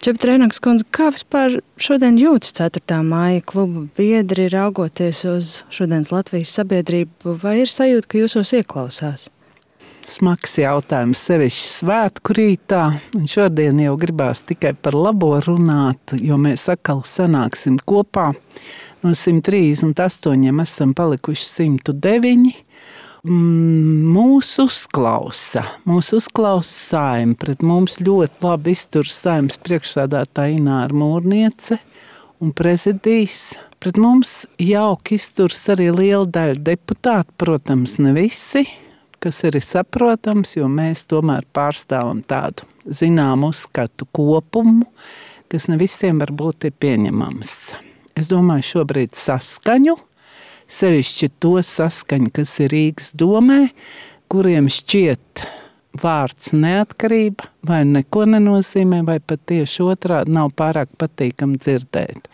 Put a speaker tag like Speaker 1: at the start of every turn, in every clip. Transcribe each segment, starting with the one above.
Speaker 1: Čeprēnaks kundze, kā vispār šodien jūtas 4. māja kluba biedri, raugoties uz šodienas Latvijas sabiedrību, vai ir sajūta, ka jūsos ieklausās?
Speaker 2: Smags jautājums, sevišķi svētku rītā. Un šodien jau gribās tikai par labo runāt, jo mēs atkal sanāksim kopā. No 138 esam palikuši 109. Mūs uzklausa Saeima. Pret mums ļoti labi izturas Saeimas priekšsēdētāja Ināra Mūrniece un prezidijs. Pret mums jauki izturas arī liela daļa deputātu, protams, ne visi, kas ir saprotams, jo mēs tomēr pārstāvam tādu zināmu uzskatu kopumu, kas ne visiem varbūt ir pieņemams. Es domāju šobrīd saskaņu, sevišķi to saskaņu, kas ir Rīgas domē, kuriem šķiet vārds neatkarība vai neko nenozīmē, vai pat tieši otrādi nav pārāk patīkami dzirdēt.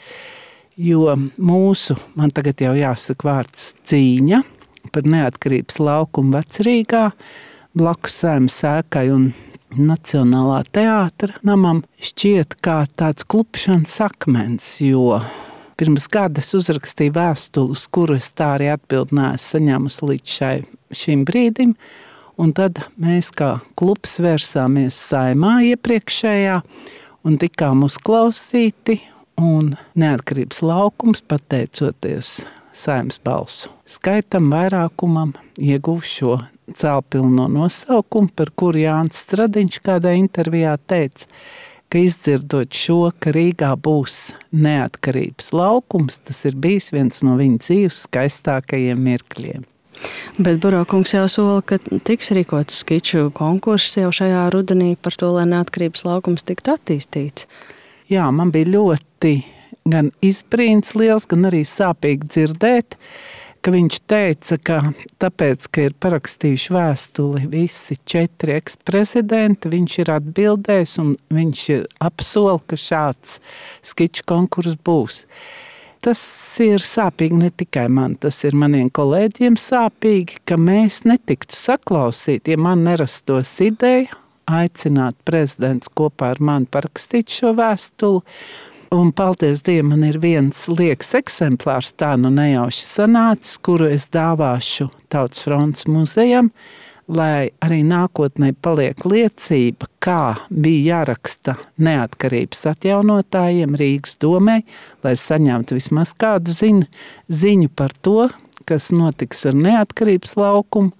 Speaker 2: Jo man tagad jau jāsaka vārds cīņa par neatkarības laukumu Vecrīgā, blakus Saeimas ēkai un Nacionālā teātra namam šķiet kā tāds klupšanas akmens, jo pirms gada es uzrakstīju vēstuli, uz kuru es tā arī atbildi neesmu saņēmusi līdz šim brīdim. Un tad mēs kā klubs vērsāmies Saeimā iepriekšējā un tikām uzklausīti. Un neatkarības laukums, pateicoties Saeimas balsu skaitam, vairākumam, ieguva šo cēlpilno nosaukumu, par kuru Jānis Stradiņš kādā intervijā teica, ka izdzirdot šo, ka Rīgā būs neatkarības laukums, tas ir bijis viens no viņa dzīves skaistākajiem mirkļiem.
Speaker 1: Bet Burokungs jau sola, ka tiks rīkots skiču konkurss jau šajā rudenī par to, lai neatkarības laukums tiktu attīstīts.
Speaker 2: Jā, man bija ļoti gan izbrīns liels, gan arī sāpīgi dzirdēt, ka viņš teica, ka tāpēc, ka ir parakstījuši vēstuli visi 4 eksprezidenti, viņš ir atbildējis un viņš ir apsola, ka šāds skiču konkurss būs. Tas ir sāpīgi ne tikai man, tas ir maniem kolēģiem sāpīgi, ka mēs netiktu saklausīti, ja man nerastos ideja aicināt prezidents kopā ar mani parakstīt šo vēstuli. Un paldies Dievam, man ir viens liekas eksemplārs, tā nu nejauši sanācis, kuru es dāvāšu Tautas frontes muzejam, lai arī nākotnē paliek liecība, kā bija jāraksta neatkarības atjaunotājiem Rīgas domē, lai saņemtu vismaz kādu ziņu par to, kas notiks ar neatkarības laukumu,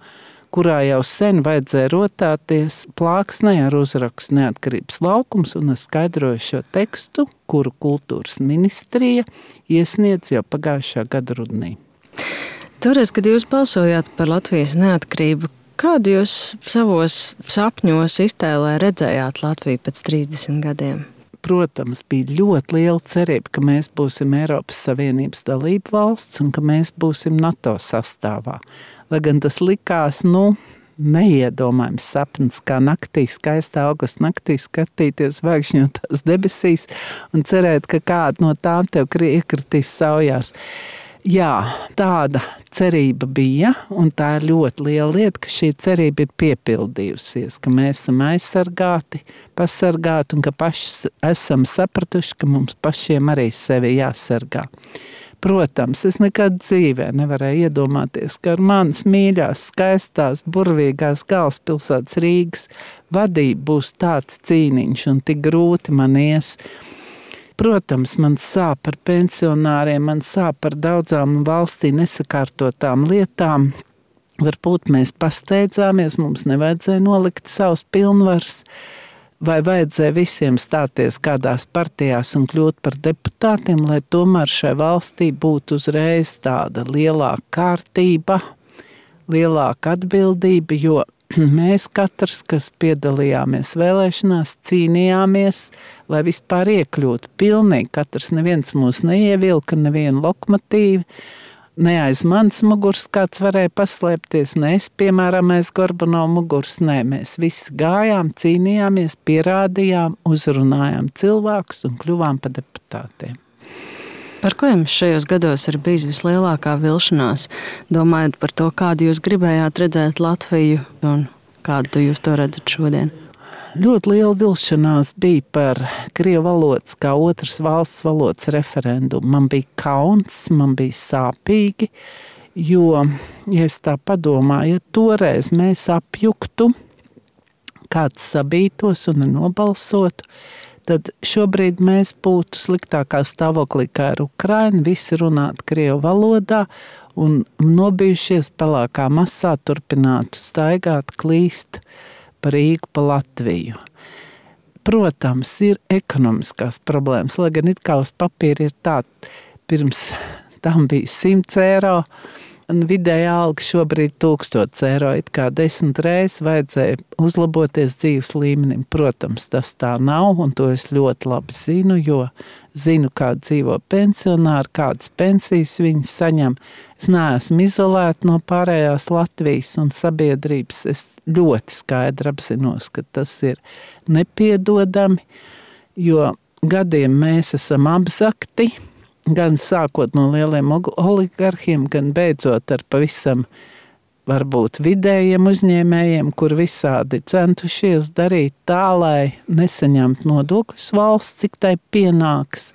Speaker 2: kurā jau sen vajadzēja rotāties plāksnē ar uzrakstu neatkarības laukums, un es skaidroju šo tekstu, kuru kultūras ministrija iesniedz jau pagājušā gada rudenī.
Speaker 1: Toreiz, kad jūs balsojāt par Latvijas neatkarību, kādu jūs savos sapņos iztēlē redzējāt Latviju pēc 30 gadiem?
Speaker 2: Protams, bija ļoti liela cerība, ka mēs būsim Eiropas Savienības dalība valsts un ka mēs būsim NATO sastāvā. Lai gan tas likās, neiedomājams sapnis, kā naktī, skaistā augusta naktī skatīties zvaigžņotās debesīs un cerēt, ka kāda no tām tev iekritīs saujās. Jā, tāda cerība bija, un tā ir ļoti liela lieta, ka šī cerība ir piepildījusies, ka mēs esam aizsargāti, pasargāti un ka paši esam sapratuši, ka mums pašiem arī sevi jāsargā. Protams, es nekad dzīvē nevarēju iedomāties, ka ar manas mīļās, skaistās, burvīgās galvaspilsētas Rīgas vadība būs tāds cīniņš un tik grūti man ies. Protams, man sāp par pensionāriem, man sāp par daudzām valstī nesakārtotām lietām. Varbūt mēs pasteidzāmies, mums nevajadzēja nolikt savus pilnvaras, vai vajadzēja visiem stāties kādās partijās un kļūt par deputātiem, lai tomēr šai valstī būtu uzreiz tāda lielāka kārtība, lielāka atbildība, jo mēs katrs, kas piedalījāmies vēlēšanās, cīnījāmies, lai vispār iekļūtu pilnīgi. Katrs neviens mūs neievilka, nevienu lokomotīvu. Ne aiz manas muguras kāds varēja paslēpties, ne es, piemēram, aiz Gorbanovu muguras. Nē, mēs visi gājām, cīnījāmies, pierādījām, uzrunājām cilvēkus un kļuvām par deputātiem.
Speaker 1: Par ko jums šajos gados ir bijis vislielākā vilšanās, domājot par to, kādu jūs gribējāt redzēt Latviju un kādu jūs to redzat šodien?
Speaker 2: ļoti liela vilšanās bija par krievu valodas kā otras valsts valodas referendumu. Man bija kauns, man bija sāpīgi, jo, ja es tā padomāju, ja toreiz mēs apjuktu, kāds sabītos un nobalsotu, tad šobrīd mēs būtu sliktākā stāvoklī kā ar Ukrainu, visi runātu krievu valodā un nobijušies pelēkā masā turpinātu staigāt, klīst pa Rīgu, pa Latviju. Protams, ir ekonomiskās problēmas, lai gan it kā uz papīra ir tā, pirms tam bija 100 eiro, un vidējā alga šobrīd 1000 eiro, it kā 10 reizes vajadzēja uzlaboties dzīves līmenim. Protams, tas tā nav, un to es ļoti labi zinu, jo zinu, kā dzīvo pensionāri, kādas pensijas viņi saņem. Es neesmu izolēta no pārējās Latvijas un sabiedrības. Es ļoti skaidri apzinos, ka tas ir nepiedodami, jo gadiem mēs esam apzakti, gan sākot no lieliem oligarhiem, gan beidzot ar pavisam varbūt vidējiem uzņēmējiem, kur visādi centušies darīt tā, lai nesaņemtu nodokļus valsts, cik tai pienāks.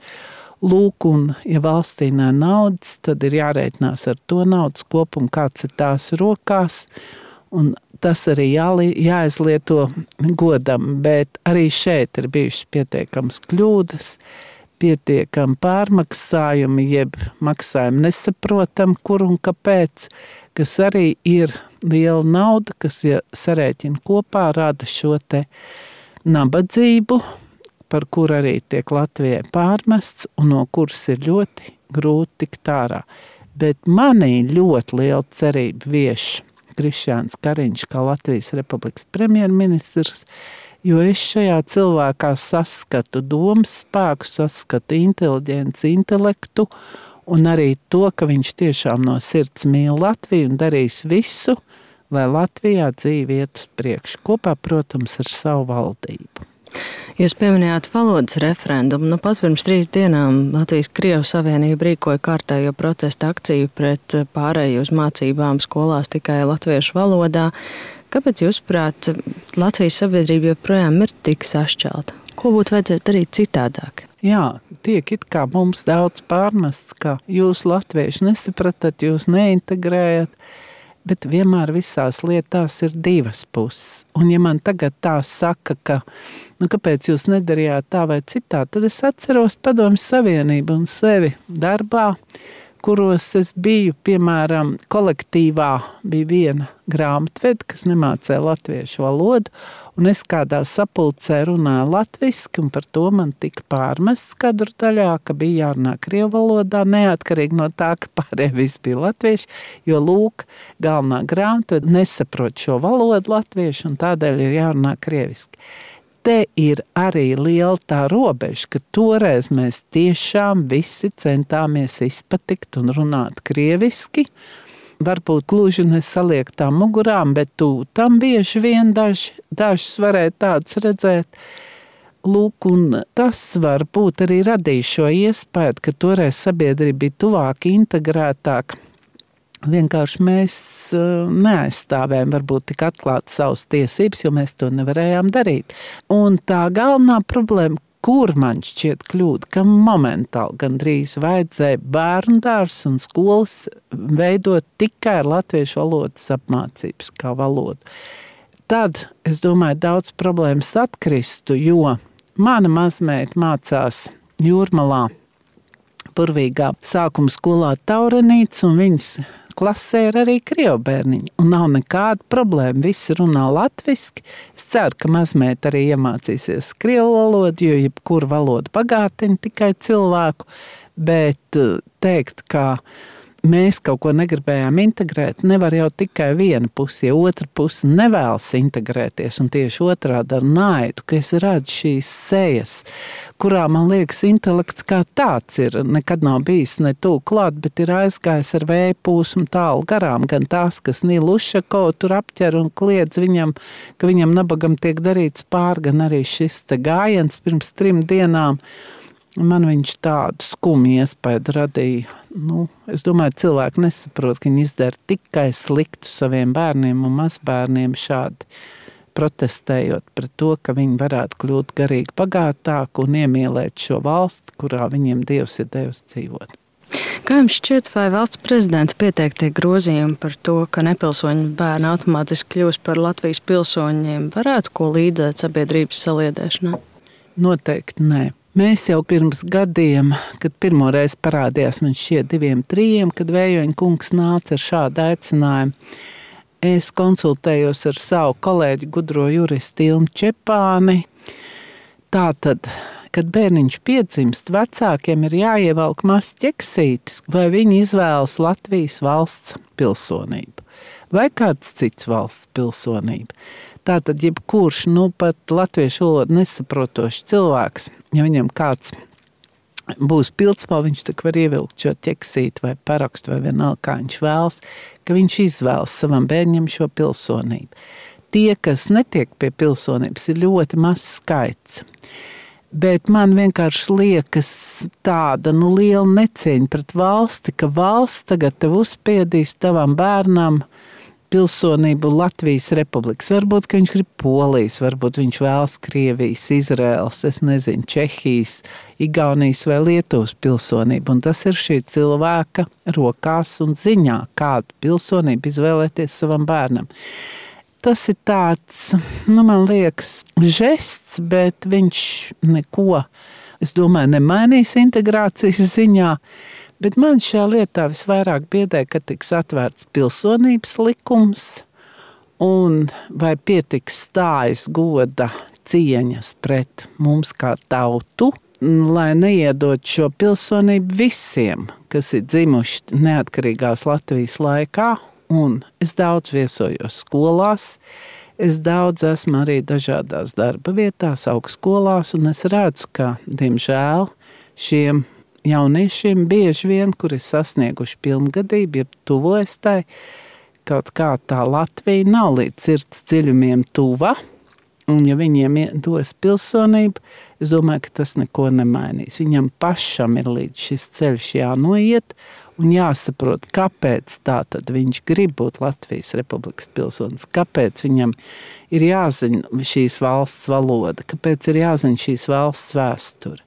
Speaker 2: Lūk, un ja valstī nav naudas, tad ir jārēķinās ar to naudas kopumu, kāds ir tās rokās, un tas arī jāizlieto godam, bet arī šeit ir bijušas pietiekamas kļūdas, pietiekami pārmaksājumi, jeb maksājumi nesaprotam, kur un kāpēc, kas arī ir liela nauda, kas, ja sarēķina kopā, rada šo te nabadzību, par kur arī tiek Latvijai pārmests un no kuras ir ļoti grūti tikt ārā. Bet manī ļoti liela cerība vieš Krišjāns Kariņš kā Latvijas Republikas premjerministrs, jo es šajā cilvēkā saskatu domas spēku, saskatu inteliģenci, intelektu un arī to, ka viņš tiešām no sirds mīl Latviju un darīs visu, lai Latvijā dzīve iet uz priekšu. Kopā, protams, ar savu valdību.
Speaker 1: Jūs pieminējāt valodas referendumu. Pat pirms 3 dienām Latvijas-Krievu Savienība rīkoja kārtējo protesta akciju pret pārēju uz mācībām skolās tikai latviešu valodā. Kāpēc, jūsuprāt, Latvijas sabiedrība joprojām ir tik sašķelta? Ko būtu vajadzēs darīt citādāk?
Speaker 2: Jā, tiek it kā mums daudz pārmests, ka jūs latvieši nesapratat, jūs neintegrējat, bet vienmēr visās lietās ir 2 puses. Un ja man tagad tā saka, ka kāpēc jūs nedarījāt tā vai citā, tad es atceros Padomju Savienību un sevi darbā, kuros es biju, piemēram, kolektīvā bija viena grāmatvede, kas nemācēja latviešu valodu, un es kādā sapulcē runāju latviski, un par to man tika pārmests kadru daļā, ka bija jārunā krievu valodā, neatkarīgi no tā, ka pārējie visi bija latvieši, jo, lūk, galvenā grāmatvede nesaprot šo valodu latviešu, un tādēļ ir jārunā krieviski. Te ir arī liela tā robeža, ka toreiz mēs tiešām visi centāmies izpatikt un runāt krieviski. Varbūt gluži nesaliektām mugurām, bet tam bieži vien dažus varēja tādus redzēt. Lūk, un tas varbūt arī radīja šo iespēju, ka toreiz sabiedrība bija tuvāk, integrētāk. Vienkārši mēs neaizstāvējam varbūt tik atklāt savas tiesības, jo mēs to nevarējām darīt. Un tā galvenā problēma, kur man šķiet kļūda, ka momentāli gandrīz vajadzēja bērnu dārzs un skolas veidot tikai ar latviešu valodas apmācības kā valodu. Tad, es domāju, daudz problēmas atkristu, jo mana mazmeita mācās Jūrmalā burvīgā sākuma skolā Taurenīts, un viņas klasē ir arī krievu bērniņi. Un nav nekāda problēma, visi runā latviski. Es ceru, ka mazmeita arī iemācīsies krievu valodu, jo jebkura valoda bagātina tikai cilvēku, bet teikt, ka mēs kaut ko negribējām integrēt, nevar jau tikai viena puse, ja otra puse nevēlas integrēties, un tieši otrādi ar naidu, ka es redzu šīs sejas, kurā, man liekas, intelekts kā tāds ir, nekad nav bijis ne tuvu klāt, bet ir aizgājis ar vēja pūsmu tālu garām, gan tās, kas Nilu Ušakovu tur apķer un kliedz viņam, ka viņam nabagam tiek darīts pār, gan arī šis te gājiens pirms 3 dienām. Man viņš tādu skumju iespēju radīja. Es domāju, cilvēki nesaprot, ka viņi izdara tikai sliktu saviem bērniem un mazbērniem šādi protestējot pret to, ka viņi varētu kļūt garīgi bagātāki un iemīlēt šo valsti, kurā viņiem Dievs ir devis dzīvot.
Speaker 1: Kā jums šķiet, vai valsts prezidenta pieteiktie grozījumi par to, ka nepilsoņu bērni automātiski kļūs par Latvijas pilsoņiem, varētu ko līdzēt sabiedrības saliedēšanā?
Speaker 2: Noteikti nē. Mēs jau pirms gadiem, kad pirmoreiz parādījās man šķiet 2-3, kad Vējoņa kungs nāca ar šādu aicinājumu, es konsultējos ar savu kolēģi gudro juristu Ilmu Čepāni. Tātad, kad bērniņš piedzimst, vecākiem ir jāievelk mazs ķeksītis, vai viņi izvēlas Latvijas valsts pilsonību vai kāds cits valsts pilsonību. Tātad, jebkurš, pat latviešu valodu nesaprotošs cilvēks, ja viņam kāds būs pildspalva, viņš tak var ievilkt šo ķeksīti vai parakstu vai vienalga, kā viņš vēlas, ka viņš izvēlas savam bērņam šo pilsonību. Tie, kas netiek pie pilsonības, ir ļoti mazs skaits. Bet man vienkārši liekas tāda liela necieņa pret valsti, ka valsts tagad tev uzspiedīs tavam bērnam pilsonību Latvijas republikas. Varbūt, ka viņš grib Polijas, varbūt viņš vēlas Krievijas, Izraels, es nezinu, Čehijas, Igaunijas vai Lietuvas pilsonību. Un tas ir šī cilvēka rokās un ziņā, kādu pilsonību izvēlēties savam bērnam. Tas ir tāds, man liekas, žests, bet viņš neko, es domāju, nemainīs integrācijas ziņā. Bet man šajā lietā visvairāk biedē, ka tiks atvērts pilsonības likums un vai pietiks stājas goda cieņas pret mums kā tautu, lai neiedot šo pilsonību visiem, kas ir dzimuši neatkarīgās Latvijas laikā. Un es daudz viesojos skolās, es daudz esmu arī dažādās darba vietās, augstskolās, un es redzu, ka, diemžēl, šiem jauniešiem bieži vien, kuri sasnieguši pilngadību, ja tuvojas tai, kaut kā tā Latvija nav līdz sirds dziļumiem tuva, un ja viņiem dos pilsonību, es domāju, ka tas neko nemainīs. Viņam pašam ir līdz šis ceļš jānoiet, un jāsaprot, kāpēc tātad viņš grib būt Latvijas republikas pilsonis, kāpēc viņam ir jāzina šīs valsts valoda, kāpēc ir jāzina šīs valsts vēsture.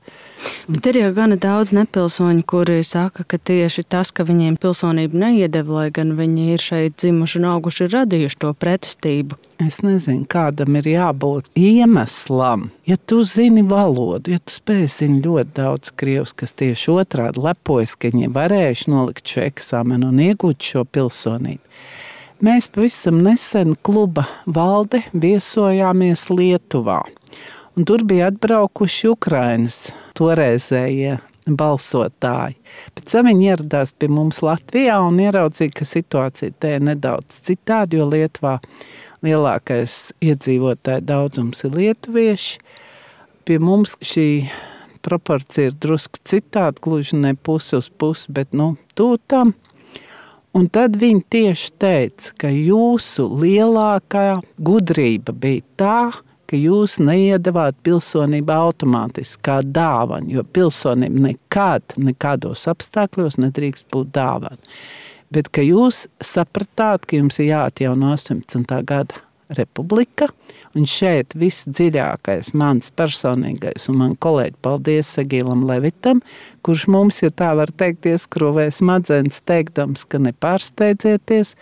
Speaker 1: Bet ir jau gana daudz nepilsoņu, kuri saka, ka tieši tas, ka viņiem pilsonību neiedeva, lai gan viņi ir šeit dzimuši un auguši, ir radījuši to pretestību.
Speaker 2: Es nezinu, kādam ir jābūt iemeslam. Ja tu zini valodu, ja tu spēj zini ļoti daudz krievs, kas tieši otrādi lepojas, ka viņi varējuši nolikt šo eksāmenu un iegūt šo pilsonību. Mēs pavisam nesen kluba valde viesojāmies Lietuvā. Un tur bija atbraukuši Ukrainas toreizējie balsotāji. Pēc tam viņi ieradās pie mums Latvijā un ieraudzīja, ka situācija te ir nedaudz citādi, jo Lietuvā lielākais iedzīvotāju daudzums ir lietuvieši. Pie mums šī proporcija ir drusku citādi, gluži ne pusi uz pusi, bet tūtam. Un tad viņi tieši teica, ka jūsu lielākā gudrība bija tā, ka jūs neiedavāt pilsonību automātiski kā dāvanu, jo pilsonība nekādos apstākļos nedrīkst būt dāvana. Bet ka jūs sapratāt, ka jums ir jāatjauno 18. gada republika, un šeit viss dziļākais mans personīgais un man kolēģi paldies Sagīlam Levitam, kurš mums, ja tā var teikt, ieskrovēja smadzenes teikdams, ka nepārsteidzieties,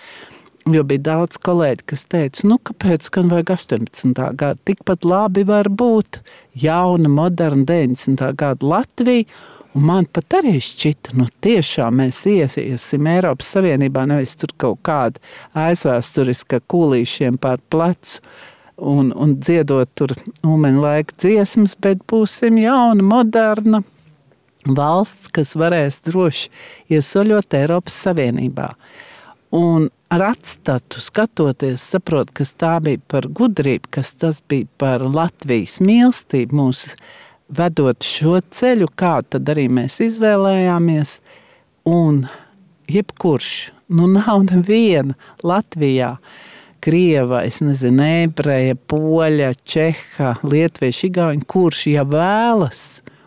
Speaker 2: jo bija daudz kolēģi, kas teica, kāpēc gan vajag 18. gadu, tikpat labi var būt jauna, moderna 90. gada Latvija, un man pat arī šķita, tiešām mēs iesim Eiropas Savienībā, nevis tur kaut kāda aizvēsturiska kūlīšiem pār plecu un dziedot tur Ulmeņa laika dziesmas, bet būsim jauna, moderna valsts, kas varēs droši iesoļot Eiropas Savienībā. Un ar atstatu skatoties, saprot, kas tā bija par gudrību, kas tas bija par Latvijas mīlestību mūs vedot šo ceļu, kā tad arī mēs izvēlējāmies. Un jebkurš, nav neviena Latvijā, krieva, es nezinu, ebreja, poļa, čeha, lietuvieši, igauņi, kurš vēlas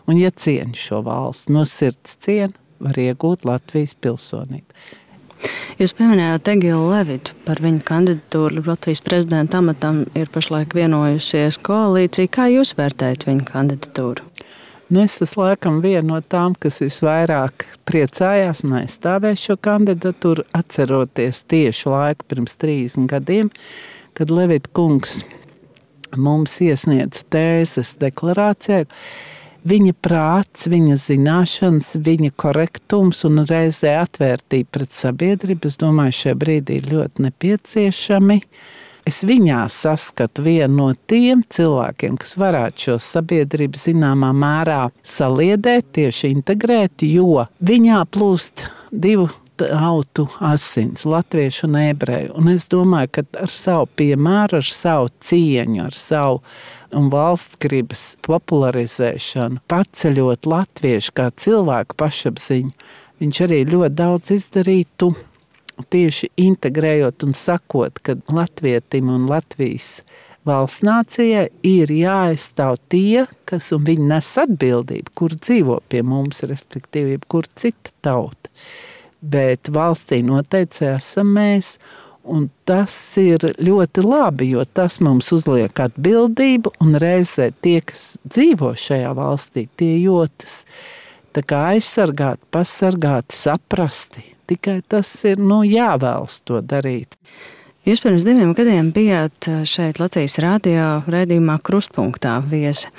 Speaker 2: un ciena šo valsts, no sirds ciena, var iegūt Latvijas pilsonību.
Speaker 1: Jūs pieminējāt Egilu Levitu. Par viņu kandidatūru Latvijas prezidenta amatam ir pašlaik vienojusies koalīcija. Kā jūs vērtējat viņu kandidatūru?
Speaker 2: Es esmu laikam viena no tām, kas visvairāk priecājās un aizstāvēja šo kandidatūru, atceroties tieši laiku pirms 30 gadiem, kad Levita kungs mums iesniedza tēzes deklarācijā. Viņa prāts, viņa zināšanas, viņa korektums un reizē atvērtība pret sabiedrību, es domāju, šajā brīdī ir ļoti nepieciešami. Es viņā saskatu vienu no tiem cilvēkiem, kas varētu šo sabiedrību zināmā mērā saliedēt, tieši integrēt, jo viņā plūst divu tautu asins, latviešu un ebreju. Un es domāju, ka ar savu piemēru, ar savu cieņu, ar savu un valstsgribas popularizēšanu, paceļot latviešu kā cilvēku pašapziņu, viņš arī ļoti daudz izdarītu, tieši integrējot un sakot, ka latvietim un Latvijas valsts nācijai ir jāaizstāv tie, kas un viņi nes atbildību, kur dzīvo pie mums, respektīvi, kur cita tauta. Bet valstī noteikti esam mēs, un tas ir ļoti labi, jo tas mums uzliek atbildību, un reizē tie, kas dzīvo šajā valstī, tie jūtas tā kā aizsargāti, pasargāti, saprasti. Tikai tas ir jāvēlas to darīt.
Speaker 1: Jūs pirms 2 gadiem bijāt šeit Latvijas rādio raidījumā Krustpunktā viesi,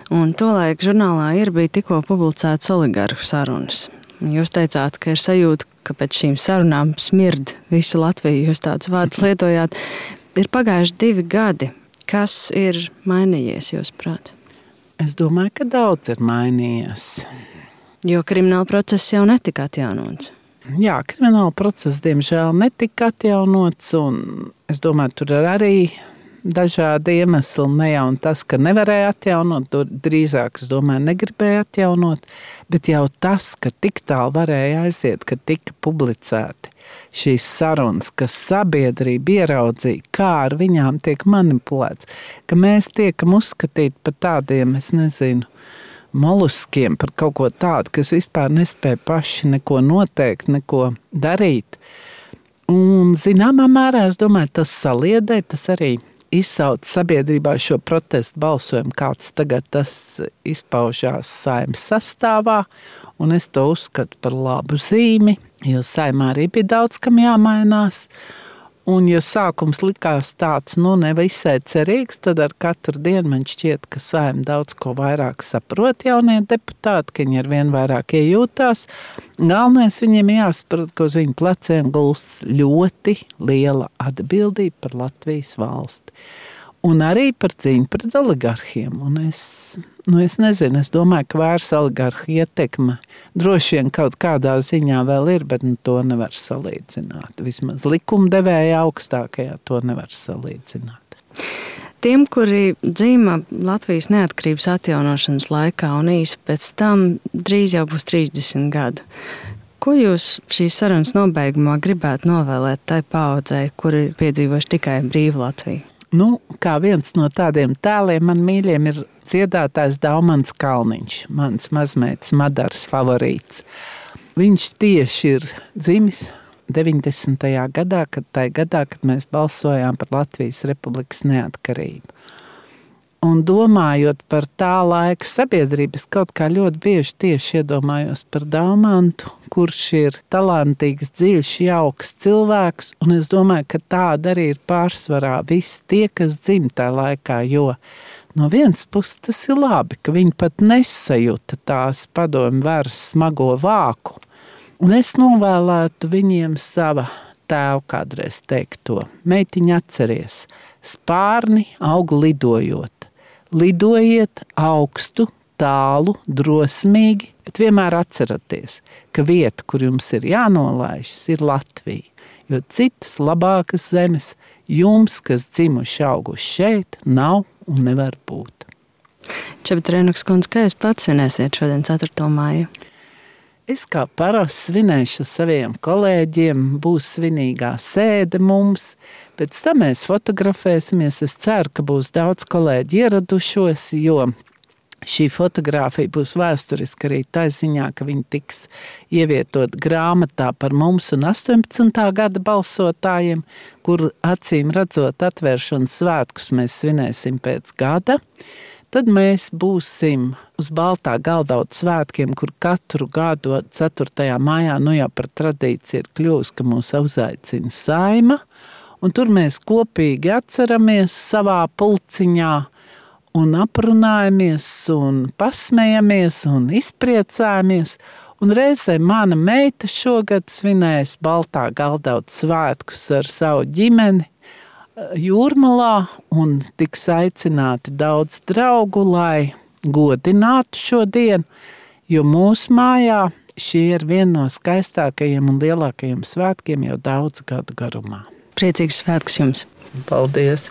Speaker 1: un tolaik žurnālā bija tikko publicētas oligarhu sarunas. Jūs teicāt, ka ir sajūta, ka pēc šīm sarunām smird visu Latviju, jūs tādus vārdus lietojāt. Ir pagājuši 2 gadi. Kas ir mainījies, jūsuprāt?
Speaker 2: Es domāju, ka daudz ir mainījies.
Speaker 1: Jo krimināla process jau netika atjaunots.
Speaker 2: Jā, krimināla process, diemžēl, netika atjaunots, un es domāju, tur ir arī dažādi iemesli, ne jau tas, ka nevarēja atjaunot, drīzāk, es domāju, negribēja atjaunot, bet jau tas, ka tik tālu varēja aiziet, ka tika publicēti šīs sarunas, ka sabiedrība ieraudzīja, kā ar viņām tiek manipulēts, ka mēs tiekam uzskatīti par tādiem, es nezinu, moluskiem, par kaut ko tādu, kas vispār nespēja paši neko noteikt, neko darīt. Un zināmā mērā, es domāju, tas saliedē, tas arī izsauc sabiedrībā šo protestu balsojumu, kāds tagad tas izpaužās Saeimas sastāvā, un es to uzskatu par labu zīmi, jo Saeimā arī bija daudz, kam jāmainās. Un ja sākums likās tāds, nevisai cerīgs, tad ar katru dienu man šķiet, ka Saeima daudz ko vairāk saprot jaunie deputāti, ka viņi ar vien vairāk iejūtās. Galvenais viņiem jāsaprot, ka uz viņu pleciem gulsts ļoti liela atbildība par Latvijas valsti. Un arī par cīņu pret oligarhiem. Un es nezinu, es domāju, ka vairs oligarhu ietekme droši vien kaut kādā ziņā vēl ir, bet to nevar salīdzināt. Vismaz likumdevēja augstākajā to nevar salīdzināt.
Speaker 1: Tiem, kuri dzīvo Latvijas neatkarības atjaunošanas laikā un īsi pēc tam, drīz jau būs 30 gadu. Ko jūs šīs sarunas nobeigumā gribētu novēlēt tai paaudzei, kuri ir piedzīvojuši tikai brīvu Latviju?
Speaker 2: Kā viens no tādiem tēliem man mīļiem ir dziedātājs Daumans Kalniņš, mans mazmeitas Madaras favorīts. Viņš tieši ir dzimis 90. gadā, kad mēs balsojām par Latvijas Republikas neatkarību. Un domājot par tā laika sabiedrības, kaut kā ļoti bieži tieši iedomājos par Daumantu, kurš ir talantīgs, dziļš, jauks cilvēks, un es domāju, ka tāda arī ir pārsvarā visi tie, kas dzimtā laikā, jo no vienas puses tas ir labi, ka viņi pat nesajūta tās padomju varas smago vāku, un es novēlētu viņiem sava tēva kādreiz teikto. Meitiņa, atceries, spārni aug lidojot. Lidojiet augstu, tālu, drosmīgi, bet vienmēr atceraties, ka vieta, kur jums ir jānolaižas, ir Latvija. Jo citas labākas zemes jums, kas dzimuši auguši šeit, nav un nevar būt.
Speaker 1: Čebita Rēnuks kundze, kā jūs pats svinēsiet šodien 4. māju?
Speaker 2: Es kā parasti svinēšu ar saviem kolēģiem, būs svinīgā sēde mums, pēc tam mēs fotografēsimies. Es ceru, ka būs daudz kolēģi ieradušos, jo Šī fotogrāfija būs vēsturiska arī tā ziņā, ka viņa tiks ievietot grāmatā par mums un 18. gada balsotājiem, kur acīm redzot atvēršanas svētkus mēs svinēsim pēc gada. Tad mēs būsim uz Baltā Galdauta svētkiem, kur katru gadu 4. maijā jau par tradīciju ir kļuvusi, ka mūs uzaicina Saeima. Un tur mēs kopīgi atceramies savā pulciņā un aprunājamies un pasmejamies un izpriecājamies. Un reizē mana meita šogad svinēs Baltā Galdauta svētkus ar savu ģimeni Jūrmalā un tiks aicināti daudz draugu, lai godinātu šo dienu, jo mūsu mājā šie ir viena no skaistākajiem un lielākajiem svētkiem jau daudz gadu garumā.
Speaker 1: Priecīgs svētks jums!
Speaker 2: Paldies!